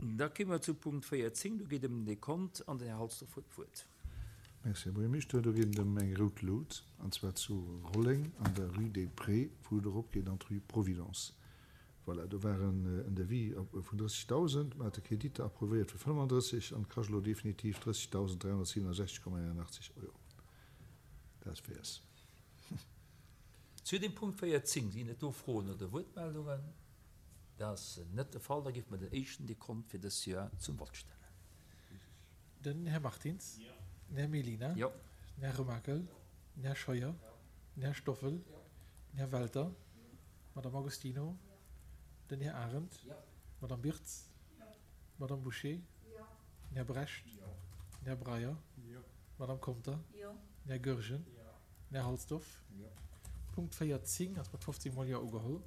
Da kéime mer zu Punkt 14, do geet ëm den Dekont an den Här Halsdorf huet d'Wuert. Merci, Här Buergermeeschter. Do geet et ëm eng rout Lut, an zwar zu Rolleng an der Rue des Prés, wou et eropgeet an d'Rue Providence. Voilà, do war en Devis vun 30.000, mer hate Kreditter approuvéiert vu 35 an et kascht elo definitiv 30.367,81 Euro. Dat wäers. Zu dem Punkt 14, sinn et do Froen oder Wuertmeldungen? Dat ass net de Fall. Da géife mer den éischten Dekont fir dës Joer zum Vott stellen. Den Här Martins. Den Här Mellina. Den Här Remakel. Den Här Scheuer. Den Här Stoffel. Den Här Welter. D'Madame Agostino. Den Här Arendt. D'Madame Birtz. D'Madame Bouché. Den Här Brecht. Den Här Breyer. D'Madame Conter. Den Här Goergen. Den Här Halsdorf. Punkt 14 ass mat 15 mol Jo ugeholl.